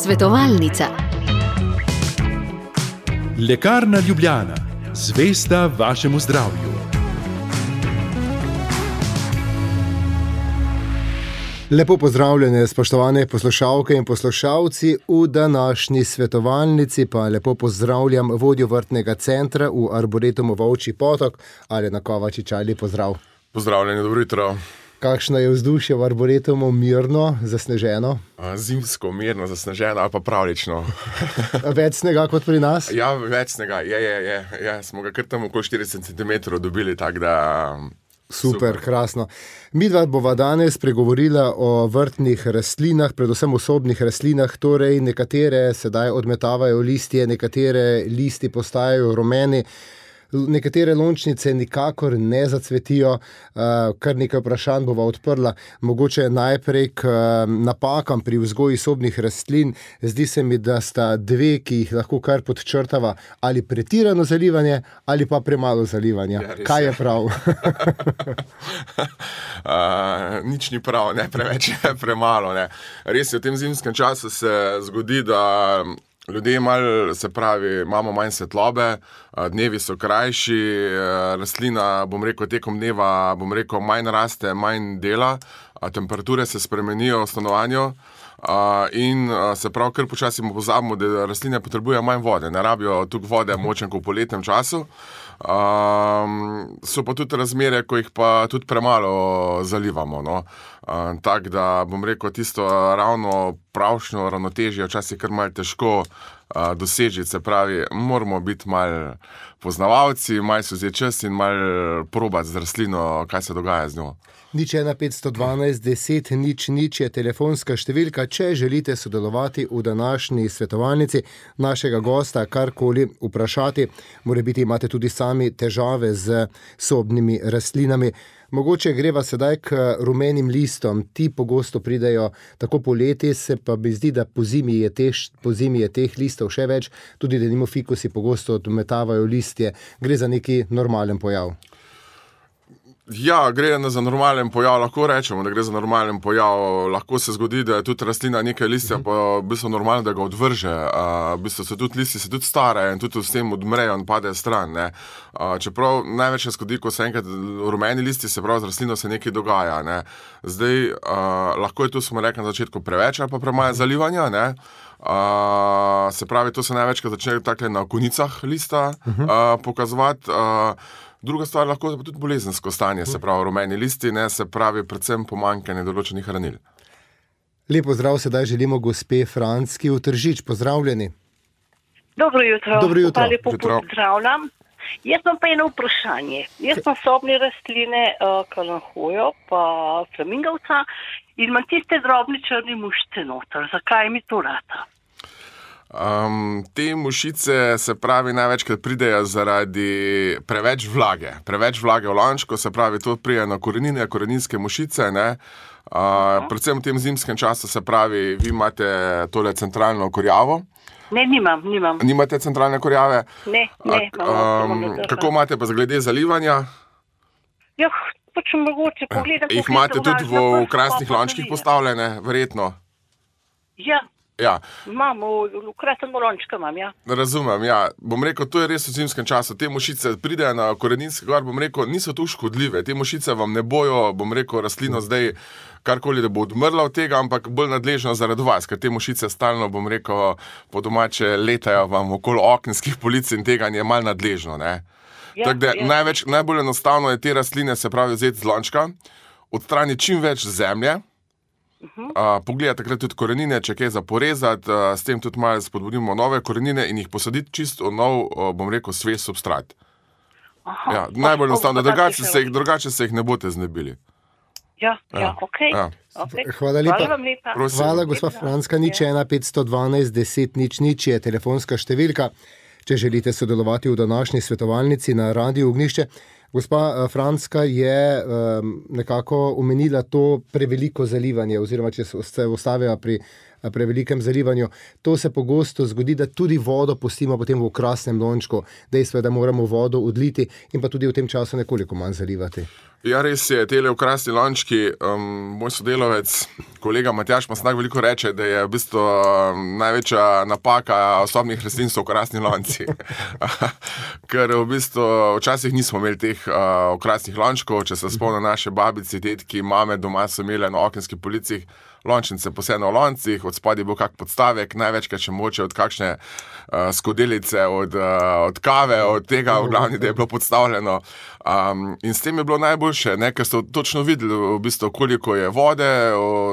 Svetovalnica. Lekarna Ljubljana, zvesta vašemu zdravju. Lepo pozdravljene, spoštovane poslušalke in poslušalci. V današnji svetovalnici pa lepo pozdravljam vodjo vrtnega centra v Arboretumu Volčji Potok, Alena Kovačič. Lep pozdrav. Pozdravljeni, dobro jutro. Kakšno je vzdušje v Arboretumu? Mirno, zasneženo? Zimsko, mirno, zasneženo ali pa pravlično. Več snega kot pri nas? Ja, več snega, je. Smo ga kar tam okoli 40 cm dobili, tako da... Super, krasno. Midva bova danes pregovorila o vrtnih rastlinah, predvsem osobnih rastlinah, torej nekatere sedaj odmetavajo listje, nekatere listi postajajo rumeni, nekatere lončnice nikakor ne zacvetijo. Kar nekaj vprašanj bova odprla. Mogoče najprej k napakam pri vzgoji sobnih rastlin. Zdi se mi, da sta dve, ki jih lahko kar podčrtava, ali pretirano zalivanje ali pa premalo zalivanja. Ja, kaj je prav? Nič ni prav, ne, preveč je premalo. Ne. Res je, v tem zimskem času se zgodi, da ljudje imamo manj svetlobe, dnevi so krajši, rastlina, tekom dneva, manj raste, manj dela, temperature se spremenijo v stanovanju in se prav kar počasi pozabimo, da rastline potrebujejo manj vode, ne rabijo tukaj vode močen kot v poletnem času. So pa tudi razmere, ko jih pa tudi premalo zalivamo, no. Tako da tisto ravno pravšnjo ravnotežje včasih kar malo težko doseči, se pravi, moramo biti malo poznavalci, malo si vzeti čas in malo probati z rastlino, kaj se dogaja z njo. 01512 10 00 je telefonska številka, če želite sodelovati v današnji svetovalnici, našega gosta karkoli vprašati. Morebiti imate tudi sami težave z sobnimi rastlinami. Mogoče greva sedaj k rumenim listom. Ti pogosto pridejo tako poleti, se pa mi zdi, da po zimi je teh listov še več, tudi denimo fikusi pogosto odmetavajo listje. Gre za neki normalen pojav. Ja, gre za normalen pojav, lahko rečemo, da gre za normalen pojav. Lahko se zgodi, da je tudi rastlina nekaj listja, pa v bistvu normalno, da ga odvrže. V bistvu se tudi listi se tudi starajo in tudi s tem odmrejo in padejo stran, ne. Čeprav največ se zgodi, ko se enkrat rumeni listi, se pravi, z rastlino se nekaj dogaja, ne. Zdaj, lahko je tu, smo rekli na začetku, preveč ali pa premalo zalivanja, ne. Se pravi, to se največkrat začne takle na konicah lista pokazovati. Druga stvar lahko je tudi bolezensko stanje, se pravi rumeni listi, ne, se pravi predvsem pomanjkanje določenih hranil. Lep pozdrav sedaj želimo gospe Francky v Tržič. Pozdravljeni. Dobro jutro. Dobro jutro. Pa lepo pozdravljam. Jaz imam pa eno vprašanje. Jaz imam sobne rastline, kalanhojo pa flamingovca in imam tiste drobne črne mušice noter. Zakaj mi to rata? Te mušice, se pravi, največkrat pridejo zaradi preveč vlage v lončku, se pravi, to pride na korenine, koreninske mušice, ne. Predvsem v tem zimskem času, se pravi, vi imate tole centralno kurjavo. Ne, nimam. Nimate centralne kurjave? Ne. Kako imate pa glede zalivanja? Ja, pač mogoče pogledam. Jih imate tudi v krasnih lončkih postavljene, verjetno? Ja. Ja. Imam, v krasnem lončku imam, ja. Razumem, ja. To je res v zimskem času. Te mušice pridejo na koreninske gor, niso tu škodljive. Te mušice vam ne bojo, rastlino zdaj karkoli, da bo odmrla od tega, ampak bolj nadležno zaradi vas, ker te mušice stalno, po domače letajo vam okoli okenskih polic in tega je malo nadležno, ne. Ja, tako da najbolj enostavno je te rastline, se pravi, vzeti z lončka, odstraniti čim več zemlje, pogledati takrat tudi korenine, če kaj za porezati, s tem tudi malo spodbudimo nove korenine in jih posaditi čisto v nov, svež substrat. Ja, najbolj enostavno, drugače se jih ne boste znebili. Ja, okej. Hvala lepa. Hvala vam lepa. Hvala, gospa Franska. 01512 10 00 je telefonska številka, če želite sodelovati v današnji svetovalnici na Radiu Ognjišče. Gospa Franska je nekako omenila to preveliko zalivanje, oziroma če se ustavila pri prevelikem zalivanju. To se pogosto zgodi, da tudi vodo pustimo potem v okrasnem lončku. Dejstvo je, da moramo vodo odliti in pa tudi v tem času nekoliko manj zalivati. Ja, res je, tele okrasni lončki, moj sodelavec, kolega Matjaž Masnak veliko reče, da je v bistvu največja napaka osobnih rastlin so okrasni lonci. Ker v bistvu včasih nismo imeli teh okrasnih lončkov, če se spomnim naše babice, tetki, mame doma so imeli na okenskih policih lončnice posebno v loncih, od spodaj je bil kak podstavek, največkrat še moče od kakšne skodelice, od kave, od tega v glavni, da je bilo podstavljeno. In s tem je bilo najboljše, ne, ker so točno videli v bistvu, koliko je vode,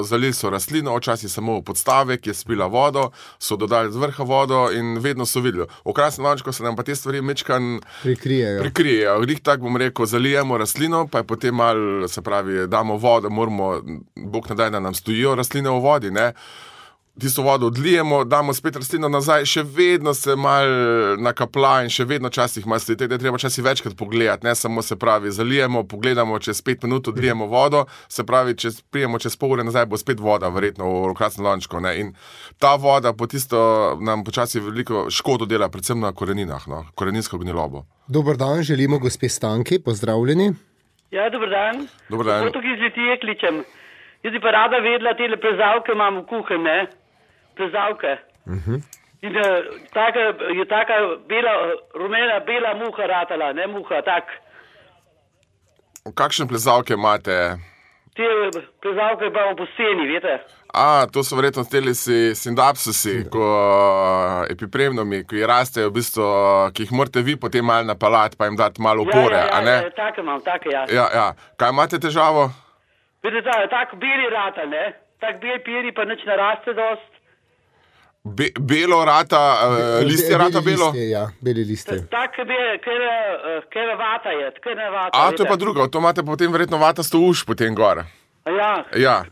zalili so rastlino, včasih samo podstavek je spila vodo, so dodali z vrha vodo in vedno so videli. V okrasnem lončku se nam pa te stvari mečkan prikrijejo. Glih tak bom rekel, zalijemo rastlino, pa je potem malo, se pravi, damo vodo, moramo, Bog ne daj, da nam stojijo rastline v vodi, ne. Tisto vodo odlijemo, damo spet rastlino nazaj, še vedno se malo nakapla in še vedno časih malo stoji, da je treba časih večkrat pogledati, ne samo se pravi, zalijemo, pogledamo, čez 5 minut odlijemo vodo, se pravi, prijemo čez pol ure nazaj, bo spet voda verjetno v okrasnem lončku, ne. In ta voda po tisto nam počasi veliko škodo dela, predvsem na koreninah, no, koreninsko gnilobo. Dober dan, želimo gospe Stanki, pozdravljeni. Ja, dober dan. Dober dan. Tukaj iz Litije kličem. Jaz bi pa rada vedela, tele plezalke imam v kuhinji, ne? Plezalke. In je taka bela, rumena, bela muha ratala, ne muha, tak. Kakšne plezalke imate? Te plezalke imamo po steni, veste? To so verjetno teli sindapsusi, epipremnomi, ki rastejo v bistvu, ki jih morate vi potem malo napalati, pa jim dati malo opore, a ne? Ja, take imam, take, ja. Ja. Kaj imate težavo? Vidite, tak beli rata, ne? Tak bel piri pa nič ne raste dost. Belo rata, listje rata belo? Ja, beli listje. Tak kera vata je, tkana vata. To je pa drugo, to imate potem verjetno vatasto uš potem gor. Ja.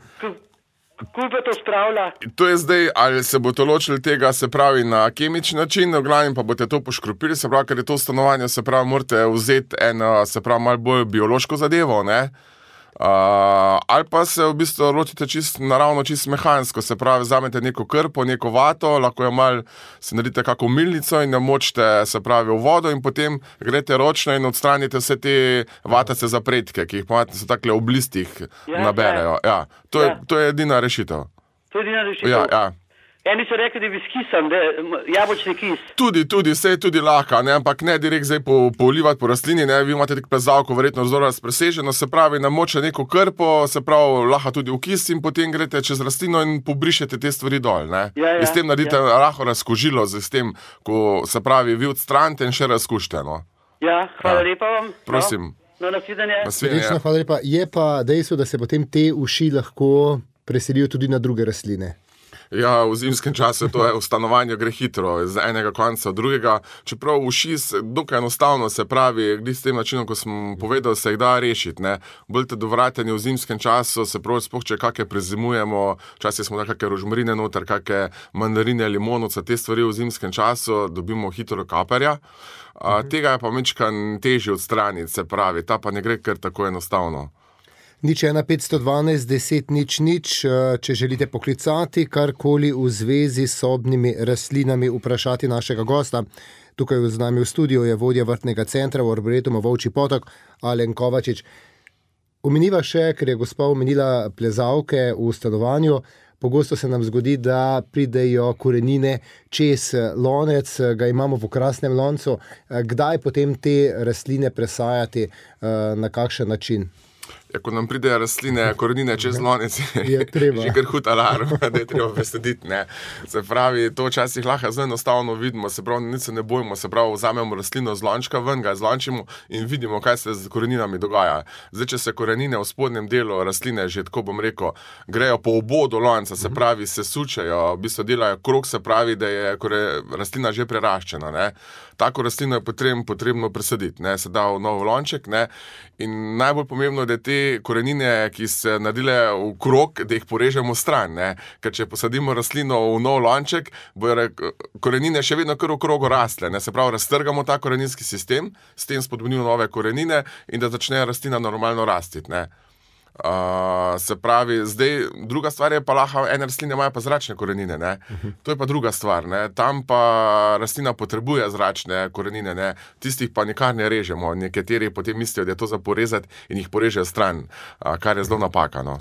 Kuj pa to spravlja? To je zdaj, ali se boste ločili tega, se pravi, na kemični način, v glavnem pa boste to poškropili, se pravi, ker je to stanovanje, se pravi, morate vzeti eno, se pravi, malo bolj biološko zadevo, ne? Ali pa se v bistvu lotite naravno čisto mehansko, se pravi, vzamete neko krpo, neko vato, lahko jo malo si naredite kako milnico in jo močite, se pravi, v vodo in potem greste ročno in odstranite vse te vatace zapretke, ki jih pomate, so takle v listih naberejo. Ja. To je edina rešitev. To je edina rešitev? Ja. Eni so rekli, da bi s kisom, da jabolčni kis. Tudi, vse je tudi lahko, ne, ampak ne direkt zdaj polivati po rastlini, ne, vi imate tako plezalko verjetno zelo razpreseženo, se pravi, namočite neko krpo, se pravi, lahko tudi v kis in potem greste čez rastlino in pobrišete te stvari dol, ne. In s tem naredite lahko razkožilo, s tem, ko se pravi, vi odstranite in še razkušite, no. Ja, hvala lepa vam. Prosim. No, nasvidenje. Srečno, hvala lepa. Je pa dejstvo, da se potem te uši lahko preselijo tudi na druge rastline. Ja, v zimskem času to je v stanovanju gre hitro, z enega konca v drugega, čeprav uši dokaj enostavno, se pravi, glih s tem načinom, ko sem povedal, se jih da rešiti, ne. Boljte dovrateni v zimskem času, se pravi, sploh če kakšne prezimujemo, včasih smo da kakšne rožmarine noter, kakšne mandarine, limonovca, te stvari v zimskem času dobimo hitro kaperja. Tega je pa mečkan težje odstraniti, se pravi, ta pa ne gre kar tako enostavno. 01512 10 00, če želite poklicati karkoli v zvezi s sobnimi rastlinami, vprašati našega gosta. Tukaj z nami v studiu je vodja vrtnega centra v Arboretumu Volčji Potok, Alen Kovačič. Omeniva še, ker je gospa omenila plezalke v stanovanju, pogosto se nam zgodi, da pridejo korenine čez lonec, ga imamo v okrasnem loncu. Kdaj potem te rastline presajati, na kakšen način? Ko nam pridejo rastline, korenine čez lonec, je že kar hud alarm, da je treba presaditi, ne. Se pravi, to včasih lahko zelo enostavno vidimo, se pravi, nič se ne bojimo, se pravi, vzamemo rastlino z lončka ven, ga zlončimo in vidimo, kaj se z koreninami dogaja. Zdaj, če se korenine v spodnjem delu rastline, že tako bom rekel, grejo po obodu lonca, se pravi, se sučejo, v bistvu delajo krog, se pravi, da je rastlina že preraščena, ne. Tako rastlino je potrebno presaditi, ne, se da v nov lonček, ne, in najbolj pomembno je, da te korenine, ki se naredile v krog, da jih porežemo stran, ne, ker če posadimo rastlino v nov lonček, bojo korenine še vedno kar v krogu rastle, ne, se pravi, raztrgamo ta koreninski sistem, s tem spodbudimo nove korenine in da začne rastlina normalno rasti, ne. Se pravi, zdaj druga stvar je pa lahko, ene rastline imajo pa zračne korenine, ne? To je pa druga stvar, ne? Tam pa rastlina potrebuje zračne korenine, ne? Tistih pa nikar ne režemo, nekateri potem mislijo, da je to za porezati in jih porežejo stran, kar je zelo napaka, no.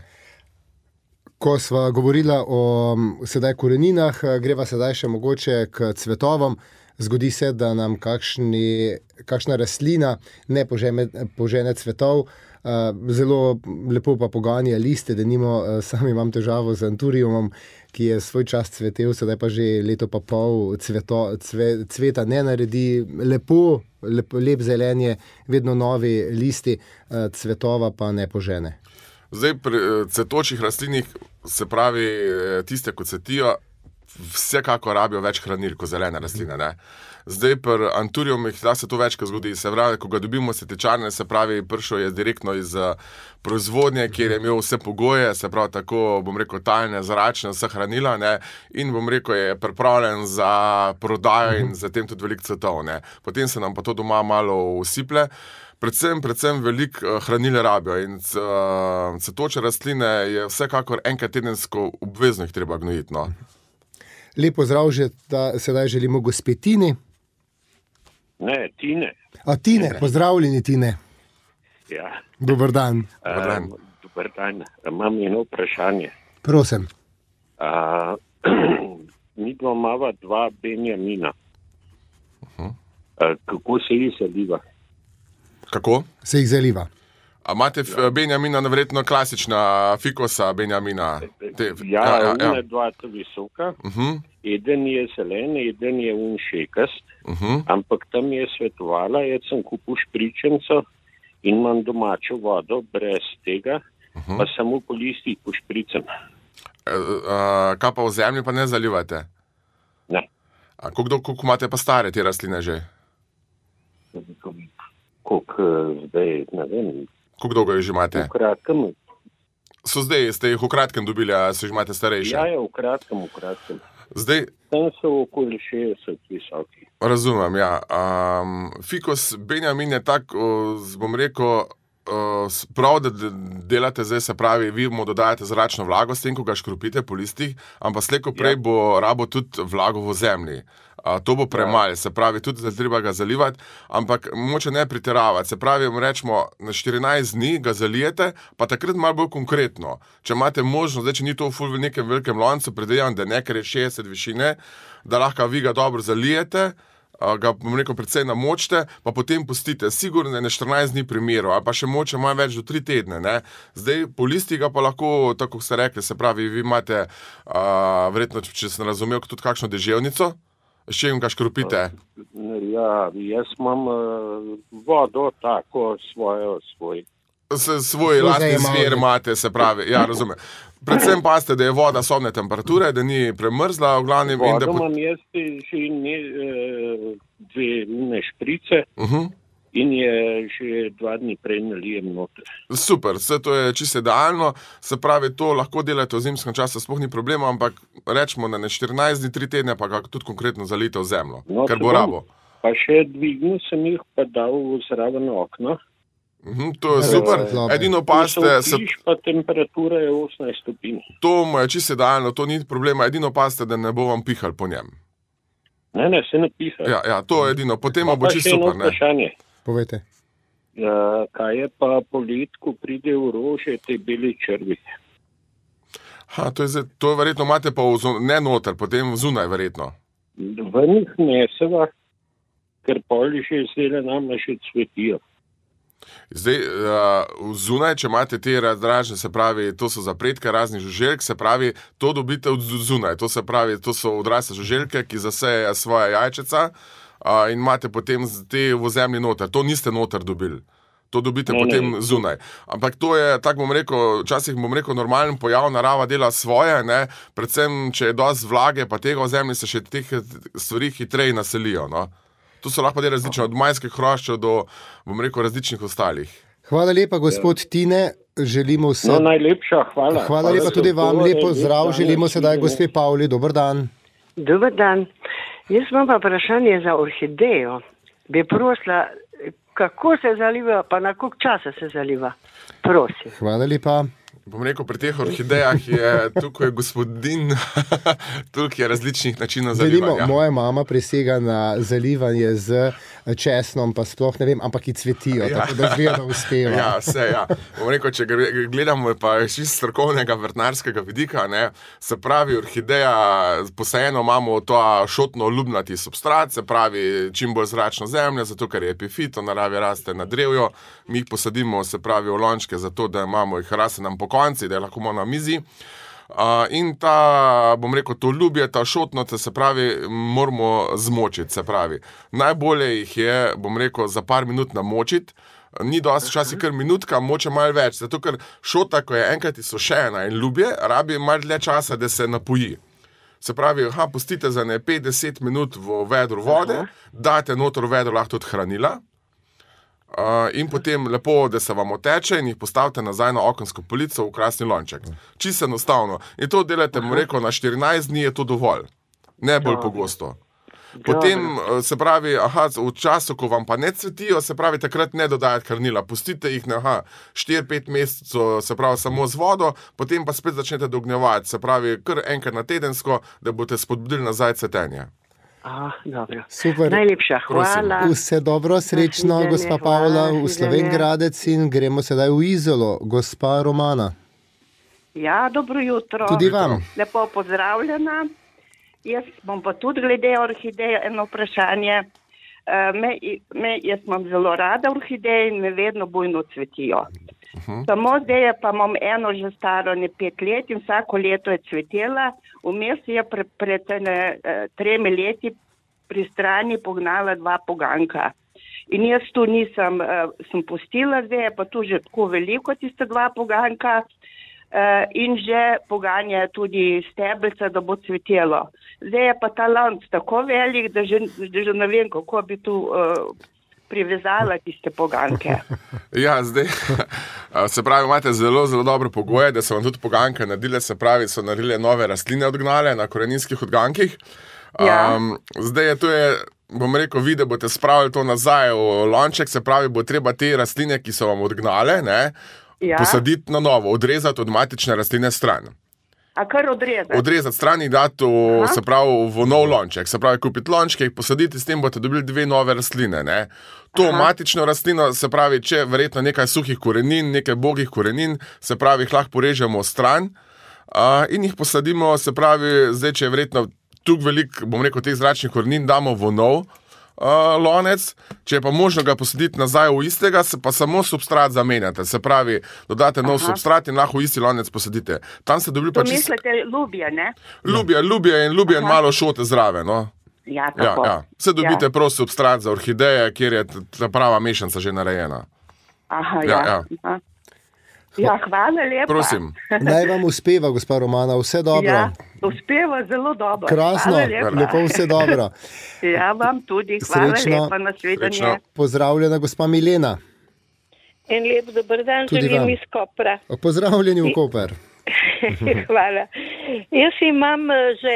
Ko sva govorila o sedaj koreninah, greva sedaj še mogoče k cvetovom. Zgodi se, da nam kakšna rastlina ne požene cvetov, zelo lepo pa poganja liste, denimo sam imam težavo z anturiumom, ki je svoj čas cvetel, sedaj pa že leto pa pol cveta ne naredi, lep zelenje, vedno novi listi, cvetova pa ne požene. Zdaj pri cvetočih rastlinih, se pravi tiste, ko cvetijo, vsekako rabijo več hranil kot zelene rastline, ne. Zdaj pri anturiumih da se to večkrat zgodi, se pravi, ko ga dobimo setečarne, se pravi, prišel je direktno iz proizvodnje, kjer je imel vse pogoje, se pravi tako, bom rekel, talne, zračne, vse hranila, ne, in bom rekel, je pripravljen za prodajo in zatem tudi veliko cvetov, ne. Potem se nam pa to doma malo usiple. Predvsem veliko hranil rabijo in cvetoče rastline je vsekakor enkrat tedensko obvezno jih treba gnojiti, no. Lep pozdrav že sedaj želimo gospe Tini. Ne, Tine. Tine, pozdravljeni Tine. Ja. Dober dan. Dober dan. Imam eno vprašanje. Prosim. Mi imamo 2 benjamina. Kako se jih zaliva? Kako? Se jih zaliva. A imate benjamina, verjetno klasična fikosa benjamina? Ja, 2 to visoka. Eden je zelen, eden je šekast. Ampak tam je svetovala, jaz sem kupil špričenco in imam domačo vodo brez tega, pa samo po listih pošpricam. Kaj pa v zemlji pa ne zalivate? Ne. Koliko imate pa stare te rastline že? Koliko zdaj, ne vem. Koliko dolgo jih že imate? V kratkem. Ste jih v kratkem dobili, a se jih imate starejše? Ja, v kratkem. Zdaj, tam so okoli 60 visoki. Razumem, ja. Fikos benjamin je tak, bom rekel, prav, da delate zdaj, se pravi, vi mu dodajate zračno vlago s tem, ko ga škropite po listih, ampak slej ko prej bo rabo tudi vlago v zemlji. To bo premalo, se pravi, tudi treba ga zalivati, ampak moče ne pretiravati. Se pravi, rečemo, na 14 dni ga zalijete, pa takrat malo bolj konkretno. Če imate možnost, zdaj, če ni to v nekem velikem loncu, predvidevam, da nekaj je 60 višine, da lahko vi ga dobro zalijete, ga, bom rekel, predvsej namočite, pa potem pustite. Sigurno je na 14 dni primeru, ali pa še moče malo več do 3 tedne, ne. Zdaj, po listi ga pa lahko, tako kot ste rekli, se pravi, vi imate, verjetno, če sem razumel, tudi kakšno deževnico, s čim ga škropite? Ja, jaz imam vodo tako svoj. Svoj lastni zver imate, se pravi, ja, razumem. Predvsem pazite, da je voda sobne temperature, da ni premrzla, v glavnem. Vodo imam jaz že 2 šprice in je že 2 dni prej nalijem noter. Super, vse to je čisto idealno, se pravi, to lahko delate v zimskem času, sploh ni problema, ampak rečemo, da na 14 dni, 3 tedne pa ga tudi konkretno zalijte v zemljo, ker bo rabo. Pa še dvignil sem jih pa dal zraven okno. To je super, edino pazite... Pa temperatura je 18 stopinj. To mu je čisto idealno, to ni problema, edino pazite, da ne bo vam pihal po njem. Ne, se ne piha. Ja, to je edino, potem bo čisto super, ne. Vprašanje. Povejte. Kaj je pa polet, ko pride v rože, te beli črvi? To je verjetno imate pa ne noter, potem zunaj verjetno. V njih neseva, ker poli že zdaj nam še cvetijo. Zdaj, zunaj, če imate te razdražne, se pravi, to so zapredke raznih žuželk, se pravi, to dobite od zunaj, to se pravi, to so odrasle žuželke, ki zasejejo svoje jajčeca in imate potem te v zemlji noter, to niste noter dobili. To dobite potem zunaj. Ampak to je, tako bom rekel, včasih bom rekel, normalen pojav, narava dela svoje, ne, predvsem, če je dosti vlage, pa tega v zemlji se še teh stvari hitreje naselijo, no. To so lahko različne, od majskih hroščev do, bom rekel, različnih ostalih. Hvala lepa, gospod Tine, želimo vse... najlepša, hvala. Hvala lepa tudi vam, lepo zdrav, želimo sedaj gospe Pavli, dober dan. Dober dan. Jaz imam pa vprašanje za orhidejo. Bi prosila, kako se zaliva, pa na koliko časa se zaliva? Prosim. Hvala lepa. Bom rekel, pri teh orhidejah je tukaj gospodin, tukaj je različnih načinov zalivanja. Moja mama prisega na zalivanje z česnom, pa sploh ne vem, ampak ki cvetijo, tako da zgleda, da uspeva. Ja, vse, ja. Bom rekel, če gledamo pa iz strokovnega vrtnarskega vidika, ne, se pravi, orhideja, posajeno imamo to šotno-ljubnati substrat, se pravi, čim bolj zračno zemljo, zato ker je epifit, v naravi raste na drevju, mi jih posadimo, se pravi, v lončke, zato da imamo jih raste nam po konci, da je lahko na mizi. In ta, bom rekel, to ljubje, ta šotnote, se pravi, moramo zmočiti, se pravi. Najbolje jih je, bom rekel, za par minut namočiti, ni dosti časi kar minutka, moče malo več, zato ker šota, ko je enkrat izsušena in ljubje, rabi malo dlje časa, da se napoji. Se pravi, pustite za 5-10 minut v vedru vode, dajte noter v vedro lahko tudi hranila, in potem lepo, da se vam oteče in jih postavite nazaj na okensko polico v krasni lonček. Čisto enostavno. In to delate, bom rekel, na 14 dni je to dovolj. Ne bolj pogosto. Potem, se pravi, v času, ko vam pa ne cvetijo, se pravi, takrat ne dodajati hranila. Pustite jih na 4-5 mesecev, se pravi, samo z vodo, potem pa spet začnete dognjevati. Se pravi, kar enkrat na tedensko, da boste spodbudili nazaj cvetenje. Dobro. Super. Najlepša hvala. Vse dobro, srečno, gospa Pavla, v Slovenj Gradec in gremo sedaj v Izolo. Gospa Romana. Ja, dobro jutro. Tudi vam. Lepo pozdravljena. Jaz bom pa tudi glede orhideje eno vprašanje. Jaz imam zelo rada orhideje in me vedno bujno cvetijo. Samo zdaj pa imam eno že staro 5 let in vsako leto je cvetela. Vmes je pred 3 leti pri strani pognala 2 poganka. In jaz tu sem pustila zdaj, pa tu že tako veliko tiste 2 poganka in že poganja tudi stebelca, da bo cvetelo. Zdaj je pa ta lanc tako velik, da že ne vem, kako bi tu privezala tiste poganke. Ja, zdaj, se pravi, imate zelo, zelo dobre pogoje, da so vam tudi poganke naredile, se pravi, so naredile nove rastline odgnale na koreninskih odgankih. Zdaj je to bom rekel, vi, da boste spravili to nazaj v lonček, se pravi, bo treba te rastline, ki so vam odgnale, posaditi na novo, odrezati od matične rastline stran. A kar odrezati? Odrezati stran in dati se pravi, v nov lonček. Se pravi, kupiti lončke, jih posaditi, s tem boste dobili 2 nove rastline. To matično rastlino, se pravi, če verjetno nekaj suhih korenin, nekaj bogih korenin, se pravi, jih lahko porežemo stran in jih posadimo, se pravi, zdaj, če je verjetno tukaj veliko, bom rekel, teh zračnih korenin, damo v nov lonec, če je pa možno ga posaditi nazaj v istega, se pa samo substrat zamenjate. Se pravi, dodate nov substrat in lahko v isti lonec posadite. Tam se dobili pa čisto... To mislite ljubje, ne? Ljubje in malo šote zraven, no. Ja, tako. Vse dobite prav substrat za orhideje, kjer je ta prava mešanca že narejena. Ja, hvala lepa. Prosim. Naj vam uspeva, gospa Romana, vse dobro. Ja, uspeva zelo dobro. Krasno, lepo vse dobro. Ja, vam tudi. Hvala lepa, nasvidenje. Pozdravljena, gospa Milena. En lep dober dan, želim iz Kopra. Pozdravljeni v Koper. Hvala. Jaz imam že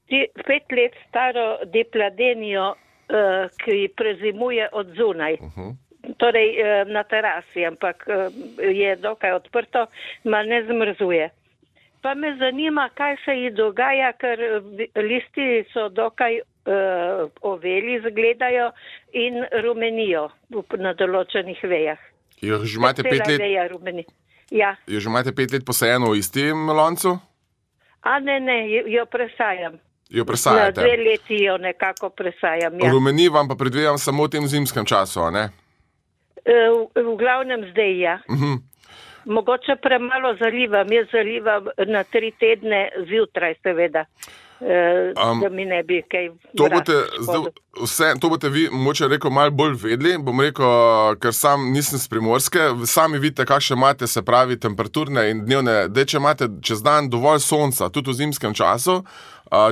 5 let staro depladenijo, ki prezimuje od zunaj. Torej na terasi, ampak je dokaj odprto, ma ne zmrzuje. Pa me zanima, kaj se ji dogaja, ker listi so dokaj oveli, zgledajo in rumenijo na določenih vejah. Jo že imate 5 let? Ja. Jo že imate 5 let posajeno v istem loncu? Ne, jo presajam. Jo presajate? Na 2 leti jo nekako presajam, ja. Rumeni vam pa predvidevam samo v tem zimskem času, ne? V glavnem zdaj, ja. Mogoče premalo zalivam. Jaz zalivam na 3 tedne zjutraj, seveda, da mi ne bi kaj To boste vi, moče rekel, malo bolj vedeli. Bom rekel, ker sam nisem z Primorske, sami vidite, kakšne imate, se pravi, temperaturne in dnevne. Če imate čez dan dovolj sonca, tudi v zimskem času,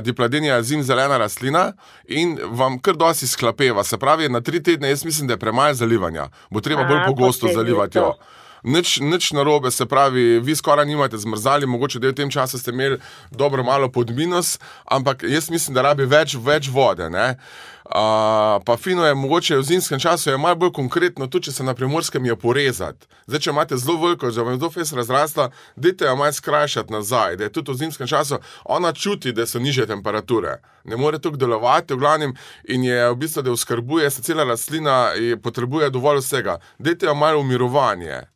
dipladenia je zimzelena rastlina in vam kar dosti sklapeva. Se pravi, na 3 tedne, jaz mislim, da je premalo zalivanja. Bo treba bolj pogosto zalivati jo. Nič narobe, se pravi, vi skoraj nimate zmrzali, mogoče da v tem času ste imeli dobro malo pod minus, ampak jaz mislim, da rabi več vode, ne. Pa fino je, mogoče v zimskem času je malo bolj konkretno, tudi če se na Primorskem je porezati. Zdaj, če imate zelo veliko, že vam je zelo fest razrasla, dajte jo malo skrajšati nazaj, da je tudi v zimskem času, ona čuti, da so nižje temperature. Ne more tukaj delovati, v glavnem, in je v bistvu, da oskrbuje se cela rastlina in potrebuje dovolj vsega. Dajte jo malo umirovanje.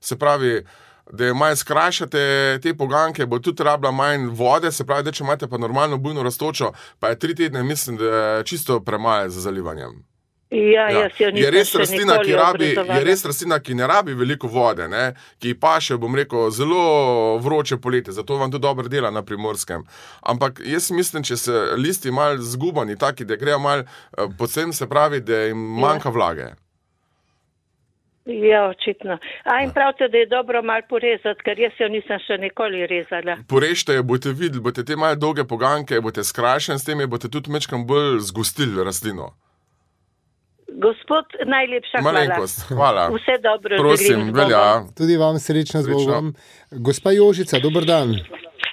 Se pravi, da je malo skrajšate te poganke, bo tudi rabila manj vode, se pravi, da če imate pa normalno bujno rastočo, pa je 3 tedne, mislim, da je čisto premalo za zalivanjem. Jaz jo nisem še nikoli obrazovala. Je res rastlina, ki ne rabi veliko vode, ne, ki paše, bom rekel, zelo vroče poletje, zato vam tudi dobro dela na Primorskem. Ampak jaz mislim, če se listi malo zgubani, taki, da grejo malo podsem, se pravi, da jim manjka vlage. Ja, očitno. In pravite, da je dobro malo porezati, ker jaz jo nisem še nikoli rezala. Porežite jo, boste videli, boste te malo dolge poganke, boste skrajšeni s tem, boste tudi mečkam bolj zgostili rastlino. Gospod, najlepša hvala. Malenkost, hvala. Vse dobro. Prosim, velja. Tudi vam srečno z Bogom. Gospa Jožica, dober dan.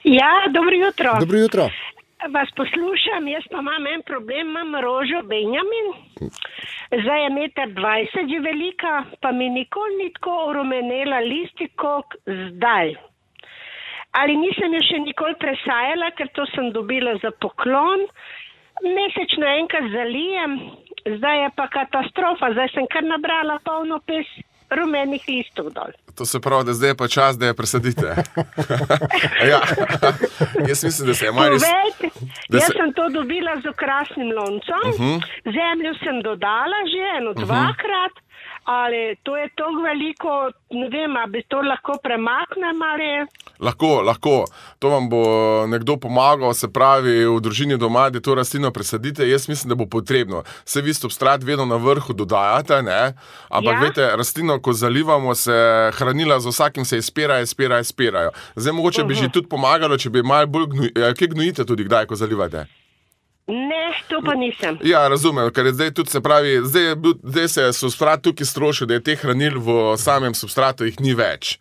Ja, dobro jutro. Dobro jutro. Vas poslušam, jaz pa imam en problem, imam rožo Benjamin, zdaj je 1,20 m že velika, pa mi nikoli ni tako orumenela listi, kot zdaj. Ali nisem jo še nikoli presajala, ker to sem dobila za poklon, mesečno enkrat zalijem, zdaj je pa katastrofa, zdaj sem kar nabrala polno pes rumenih listov dol. To se pravi, da zdaj je pa čas, da je presadite. Ja. Jaz mislim, da se je malo res... Jaz sem to dobila z okrasnim loncem, zemljo sem dodala že 2-krat, ali to je toliko veliko, ne vem, ali bi to lahko premaknem ali... Lahko. To vam bo nekdo pomagal, se pravi, v družini doma, da to rastlino presadite. Jaz mislim, da bo potrebno. Se vi substrat vedno na vrhu dodajate, ne? Ampak veste, rastlino, ko zalivamo, se hranila z vsakim se izpirajo. Zdaj mogoče bi že tudi pomagalo, če bi malo bolj kje gnojite tudi kdaj, ko zalivate? Ne, to pa nisem. Ja, razumem, ker zdaj tudi se pravi, zdaj se je substrat tukaj strošil, da je teh hranil v samem substratu jih ni več.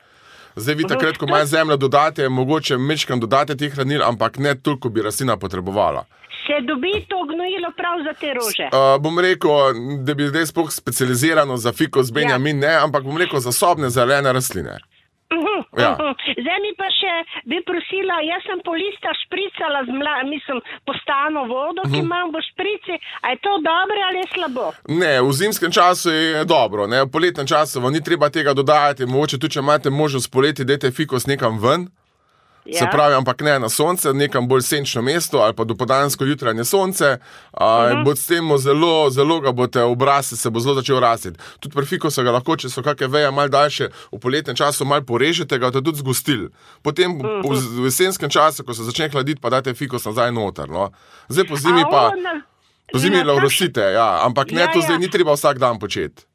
Zdaj vi takrat, ko malo zemljo dodate, mogoče mečkam dodate teh hranil, ampak ne toliko bi rastlina potrebovala. Se dobi to gnojilo prav za te rože? Bom rekel, da bi zdaj sploh specializirano za Ficus Benjamin, ne, ampak bom rekel za sobne zelene rastline. Zdaj mi pa še bi prosila, jaz sem po listah špricala po stano vodo, ki imam v šprici, a je to dobro ali je slabo? Ne, v zimskem času je dobro, ne, v poletnem času vam ni treba tega dodajati, mogoče tudi, če imate možnost poleti, dajte Ficus nekam ven. Se pravi, ampak ne na sonce, nekam bolj senčno mesto ali pa dopoldansko jutranje sonce, bo s tem zelo ga boste obrasli, se bo zelo začel rastiti. Tudi pri fikusu ga lahko, če so kakšne veje malo daljše, v poletnem času malo porežete, ga tudi zgostili. Potem v jesenskem času, ko se začne hladiti, pa dajte fikus nazaj noter, no. Zdaj po zimi pa, po zimi laurosite, ampak ne, to zdaj ni treba vsak dan početi.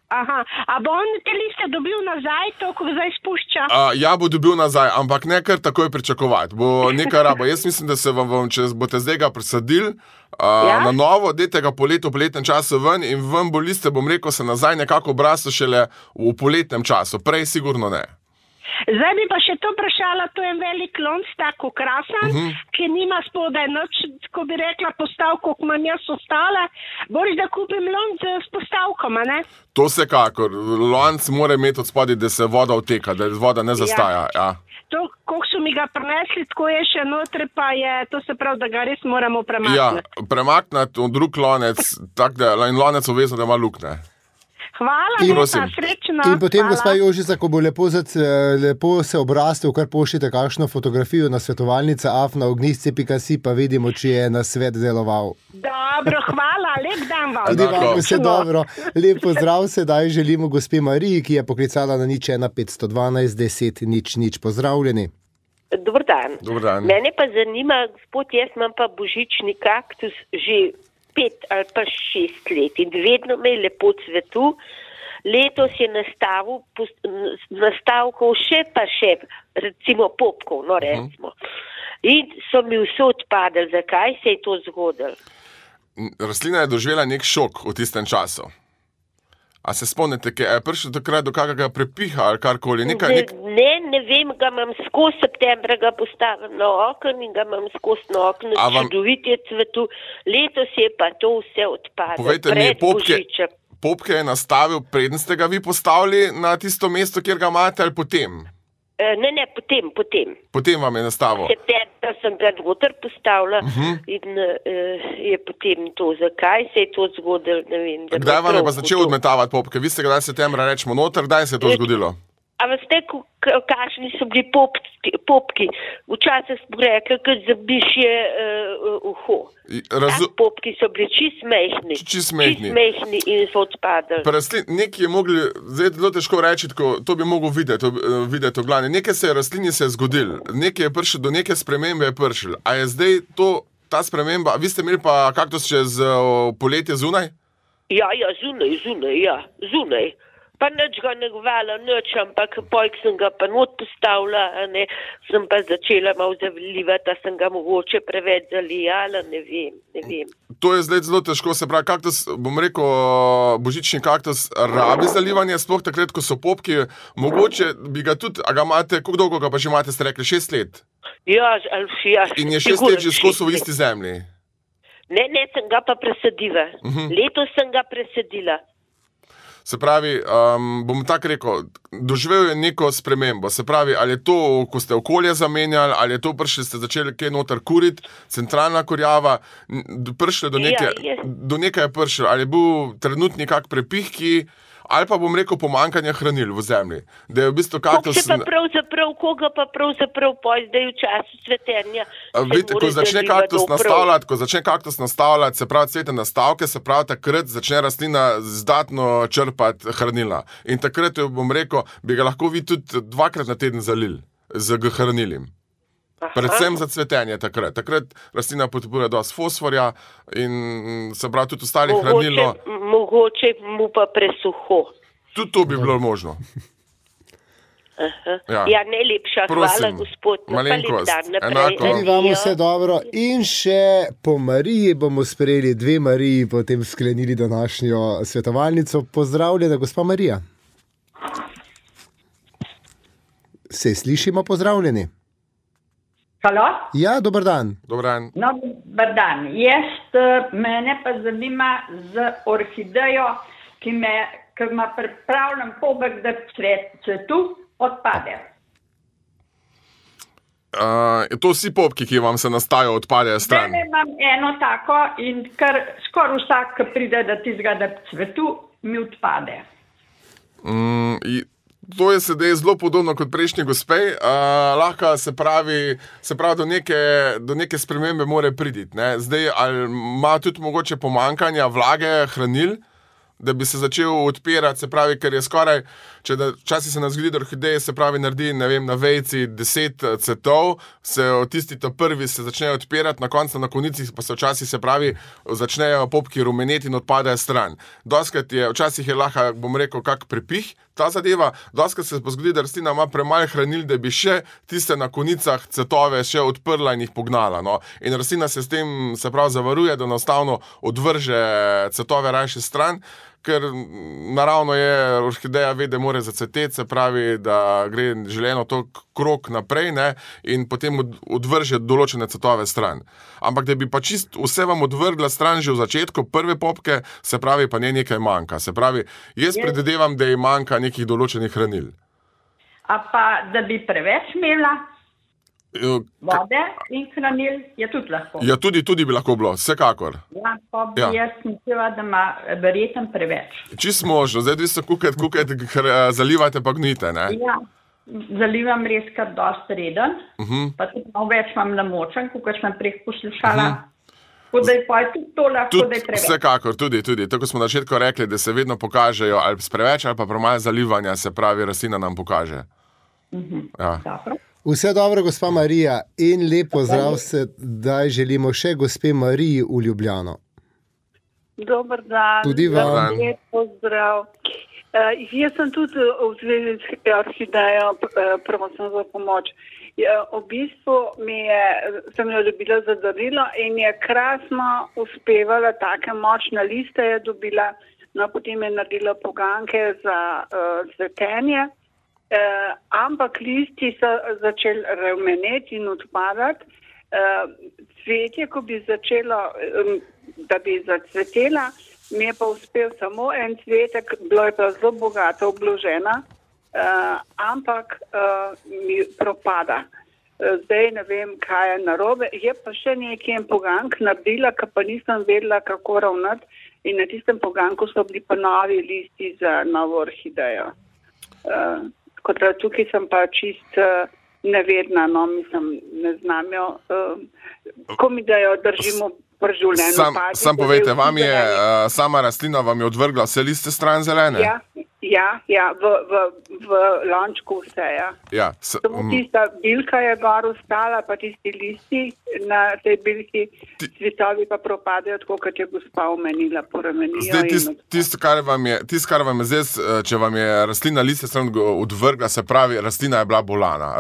Aha, a bo on te liste dobil nazaj, to, ko zdaj spušča? Ja, bo dobil nazaj, ampak ne kar takoj pričakovati. Bo nekaj raba. Jaz mislim, da se vam, če boste zdaj ga presadili na novo, dajte ga v poletnem času ven in ven bo liste, bom rekel, se nazaj nekako obraslo šele v poletnem času. Prej sigurno ne. Zdaj bi pa še to vprašala, to je en velik lonc, tako krasan, ki nima spodaj noč, ko bi rekla, postavko, ko imam jaz ostale. Boris, da kupim lonc s postavkama, ne? To vsekakor. Lonc mora imeti od spodaj, da se voda vteka, da voda ne zastaja. To, koliko so mi ga prinesli, tako je še notri, pa je, to se pravi, da ga res moramo premakniti. Ja, premakniti v drug lonec, tak da, in lonec obvezno, da ima lukne. Hvala, lepa, srečno. In potem, gospa Jožica, ko bo lepo se obrastel, kar pošljite kakšno fotografijo na svetovalnica afna.ognisce.si, pa vidimo, če je na svet deloval. Dobro, hvala, lep dan vam. Tudi vam vse dobro. Lep pozdrav sedaj želimo gospe Mariji, ki je poklicala na 01512 10 00. Pozdravljeni. Dobar dan. Mene pa zanima, gospod, jaz imam pa božični kaktus že 5 ali pa 6 let in vedno me je lepo cvetu. Letos je nastavkov še, recimo popkov, no recimo. In so mi vse odpadali. Zakaj se je to zgodilo? Rastlina je doživela nek šok v tistem času. A se spomnite, je prišlo takrat do kakega prepiha ali karkoli? Ne vem, ga imam skozi septembra ga postavim na okno in ga imam skozi na okno. Čudovit je cvetu. Letos je pa to vse odpadlo. Povejte mi, popke je nastavil, preden ste ga vi postavili na tisto mesto, kjer ga imate, ali potem? Ne, potem. Potem vam je nastavil? Septembra sem ga noter postavila in je potem to. Zakaj se je to zgodilo, ne vem. Kdaj vam je pa začel odmetavati popke? Vi ste ga septembra rečemo noter, kdaj se je to zgodilo? A veste, kakšni so bili popki? Včasih smo rekli, kad zabiš je uho. Popki so bili čist mehni in so odpadali. Nekaj je mogli, zdaj zelo težko reči, to bi mogel videti v glavni. Nekaj se je rastlini zgodil, nekaj je prišel, do neke spremembe je prišel. A je zdaj ta sprememba, vi ste imeli pa kaktus čez poletje zunaj? Ja, zunaj. Pa nič ga ne govala, ampak pojk sem ga pa not postavila, sem pa začela malo zavljivati, sem ga mogoče preveč zalijala, ne vem. To je zdaj zelo težko, se pravi, kaktus, bom rekel, božični kaktus rabi zalivanje, sploh takrat, ko so popki, mogoče bi ga tudi, a ga imate, koliko dolgo ga pa že imate, ste rekli, 6 let? Ja. In je 6 let že skozi v isti zemlji? Ne, sem ga pa presadila. Letos sem ga presadila. Se pravi, bom tako rekel, doživel je neko spremembo. Se pravi, ali je to, ko ste okolje zamenjali, ali je to prišli, ste začeli kaj noter kuriti, centralna kurjava, prišli do nekaj je prišel, ali je bil trenutni kak prepih, ali pa bom rekel pomankanje hranil v zemlji. Da je v bistvu kaktus... Koga pa pravzaprav poj, zdaj v času cvetenja... Vidite, ko začne kaktus nastavljati, se pravi cvetne nastavke, se pravi takrat začne rastlina zdatno črpati hranila. In takrat, bom rekel, bi ga lahko vi tudi 2-krat na teden zalili z hranilim. Predvsem za cvetenje takrat. Takrat rastlina potrebuje dosti fosforja in se pravi tudi ostalih hranilno. Mogoče mu pa presuho. Tudi to bi bilo možno. Ja, najlepša hvala, gospod. Malenkost. Tudi vam vse dobro. In še po Mariji bomo sprejeli 2 Mariji, potem sklenili današnjo svetovalnico. Pozdravljena, gospa Marija. Se slišimo, pozdravljeni. Halo? Ja, dober dan. Dober dan. Mene pa zanima z orhidejo, ki ima pripravljen pobeg, da cvetu odpade. To vsi popki, ki vam se nastajajo, odpadejo stran? Ne, imam eno tako in kar skoraj vsak, ki pride, da tizga, da cvetu, mi odpade. To je sedaj zelo podobno kot prejšnji gospej. Lahko se pravi do neke spremembe more priditi. Zdaj, ali ima tudi mogoče pomankanja vlage, hranil, da bi se začel odpirati, se pravi, ker je skoraj, včasih se nam zgodi, da orhideje se pravi naredi, ne vem, na vejci 10 cvetov, se tisti prvi se začnejo odpirati, na koncu na konicih pa se včasih se pravi, začnejo popki rumeneti in odpadajo stran. Včasih je lahko, bom rekel, kak prepih ta zadeva, doskrat se pa zgodi, da rastlina ima premalo hranil, da bi še tiste na konicah cvetove še odprla in jih pognala. In rastlina se s tem, se pravi, zavaruje, da enostavno odvrže cvetove rajše stran, ker naravno je, orhideja ve, da mora zacveteti, se pravi, da gre želeno to krog naprej, in potem odvrže določene cvetove stran. Ampak da bi pa čist vse vam odvrgla stran že v začetku, prve popke, se pravi, pa nekaj manjka. Se pravi, jaz predvidevam, da ji manjka nekih določenih hranil. A pa, da bi preveč imela vode in hranil, je tudi lahko. Ja, tudi bi lahko bilo, vsekakor. Ja, pa bi jaz mislila, da ima verjetno preveč. Čist možno, zdaj vi se kukajte, zalivate pa gnite, ne? Ja, zalivam res kar dosti reden, pa tudi malo več imam namočen, kot sem prej poslušala. Da je pa tudi to lahko, da je preveč. Vsekakor, tudi. Tako smo na začetku rekli, da se vedno pokažejo ali preveč ali pa premalo zalivanja, se pravi, rastlina nam pokaže. Dobro. Vse dobro, gospa Marija, in lep pozdrav se, da želimo še gospe Mariji v Ljubljano. Dober dan. Tudi vam. Lep pozdrav. Jaz sem tudi v zvezi s orhidejo, prosim za pomoč. V bistvu sem jo dobila za darilo in je krasno uspevala, take močne liste je dobila, no potem je naredila poganke za cvetenje, ampak listi so začeli rumeneti in odpadati. Cvetje, ko bi začelo, da bi zacvetela, mi je pa uspel samo en cvetek, bilo je pa zelo bogato obložena, ampak mi propada. Zdaj ne vem, kaj je narobe. Je pa še nekaj pogank naredila, ki pa nisem vedela, kako ravnati. In na tistem poganku so bili pa novi listi za novo orhidejo. Kot da tukaj sem pa čist nevedna, no, mislim, ne znam jo. Ko mi da jo držimo pri življenju. Sam povejte, vam je sama rastlina vam je odvrgla vse liste stran zelene? Ja, v lončku vse, ja. Samo tista bilka je gor ostala, pa tisti listi na tej bilki, cvetovi pa propadajo, tako kot je gospa omenila, poremenijo. Zdaj, tisto, kar vam je zdaj, če vam je rastlina liste stran odvrgla, se pravi, rastlina je bila bolana.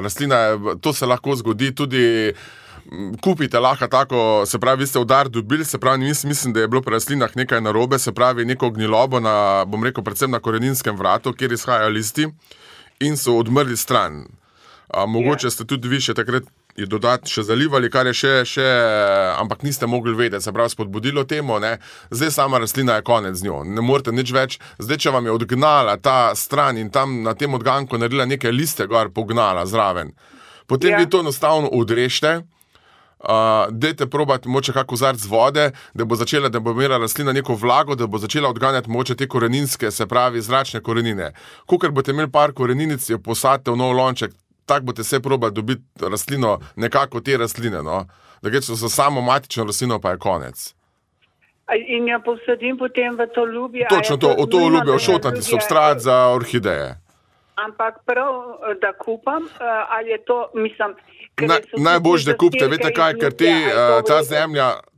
To se lahko zgodi tudi. Kupite lahko tako, se pravi, vi ste udar dobili, se pravi, mislim, da je bilo pri rastlinah nekaj narobe, se pravi, neko gnilobo na, bom rekel, predvsem na koreninskem vratu, kjer izhajajo listi in so odmrli stran. Mogoče ste tudi vi še takrat je dodati še zalivali, kar je še, ampak niste mogli vedeti, se pravi, spodbudilo temu, ne. Zdaj sama rastlina je konec z njo, ne morete nič več. Zdaj, če vam je odgnala ta stran in tam na tem odganku naredila neke liste gor pognala zraven, potem vi to enostavno odrežete. Dajte probati moče kak kozarc vode, da bo imela rastlina neko vlago, da bo začela odganjati moče te koreninske, se pravi zračne korenine. Kakor boste imeli par koreninic, jo posadite v nov lonček, tak boste se probali dobiti rastlino, nekako te rastline, no. Da gre za samo matično rastlino, pa je konec. In jo posadim potem v to ljubje? Točno to, v to ljubje, ošotnati substrat za orhideje. Ampak prav, da kupam, ali je to, mislim... Najbolj, da kupite, veste kaj, ker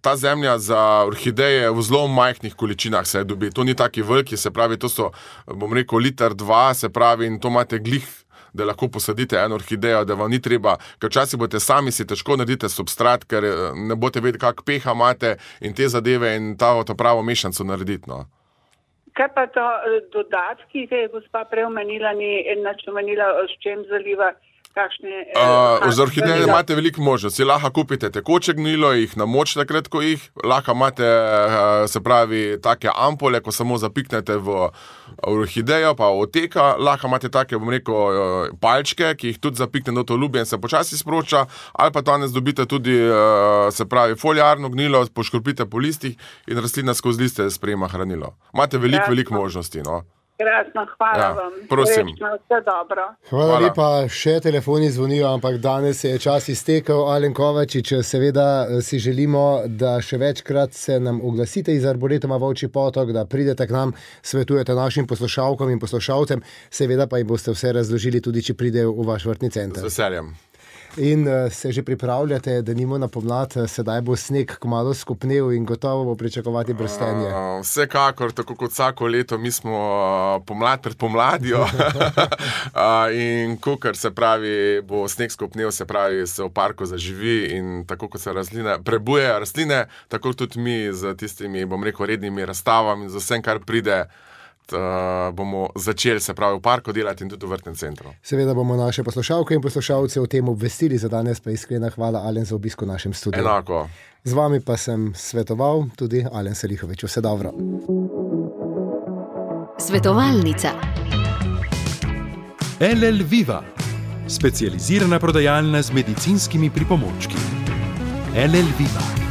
ta zemlja za orhideje v zelo majhnih količinah se dobi. To ni taki veliki, se pravi, to so, bom rekel, 1-2 litra, se pravi, in to imate glih, da lahko posadite eno orhidejo, da vam ni treba, ker včasih boste sami si težko naredite substrat, ker ne boste vedeti, kak pH imate in te zadeve in to pravo mešanco narediti, no. Kaj pa to dodatki, ki je gospa prej omenila, s čem zaliva? Z orhideje imate veliko možnosti. Lahko kupite tekoče gnilo, jih namočite kratko jih, lahko imate, se pravi, take ampole, ko samo zapiknete v orhidejo, pa oteka, lahko imate take, bom rekel, palčke, ki jih tudi zapiknete v to ljubje in se počasi sproča, ali pa danes dobite tudi, se pravi, foliarno gnilo, poškropite po listih in rastlina skozi liste sprejema hranilo. Imate veliko možnosti, no. Krasno, hvala vam. Prosim. Vse dobro. Hvala lepa, še telefoni zvonijo, ampak danes je čas iztekel. Alen Kovačič, seveda si želimo, da še večkrat se nam oglasite iz Arboretuma Volčji Potok, da pridete k nam, svetujete našim poslušalkom in poslušalcem, seveda pa jim boste vse razložili tudi, če pridejo v vaš vrtni center. Z veseljem. In se že pripravljate, da nimo na pomlad, sedaj bo sneg kmalu skopnel in gotovo bo pričakovati brstenje. Vsekakor, tako kot vsako leto, mi smo pomlad pred pomladjo in kakor se pravi, bo sneg skopnel, se pravi, se v parku zaživi in tako kot se prebujejo rastline, tako tudi mi z tistimi, bom rekel, rednimi razstavami in z vsem, kar pride, bomo začeli, se pravi, v parku delati in tudi v vrtnem centru. Seveda bomo naše poslušalke in poslušalce o tem obvestili, za danes pa iskrena hvala, Alen, za obisko v našem studiu. Enako. Z vami pa sem svetoval tudi Alen Selihovič. Vse dobro. Svetovalnica. LL Viva, specializirana prodajalna z medicinskimi pripomočki. LL Viva.